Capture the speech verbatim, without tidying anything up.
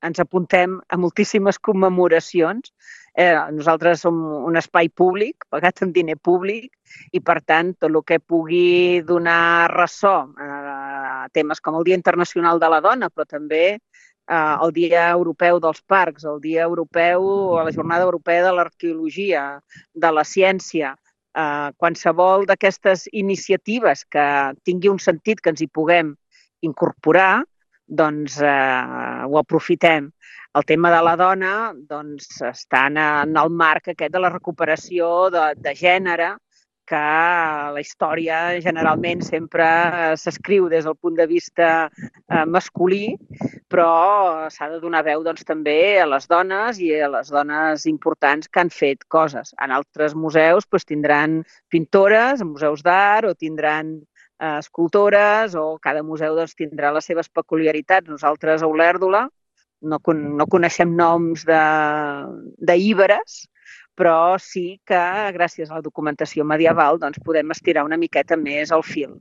ens apuntem a moltíssimes commemoracions. Eh, nosaltres som un espai públic, pagat amb diner públic, i per tant tot el que pugui donar ressò a temes com el Dia Internacional de la Dona, però també eh, el Dia Europeu dels Parcs, el Dia Europeu, la Jornada Europea de l'Arqueologia, de la Ciència, eh, qualsevol d'aquestes iniciatives que tingui un sentit que ens hi puguem incorporar, doncs eh, ho aprofitem. El tema de la dona doncs, està en el marc aquest de la recuperació de, de gènere, que la història generalment sempre s'escriu des del punt de vista eh, masculí, però s'ha de donar veu doncs, també a les dones i a les dones importants que han fet coses. En altres museus doncs, tindran pintores, museus d'art, o tindran eh, escultores, o cada museu doncs, tindrà les seves peculiaritats. Nosaltres a Olèrdola no, no coneixem noms d'íberes, però sí que gràcies a la documentació medieval doncs, podem estirar una miqueta més el fil.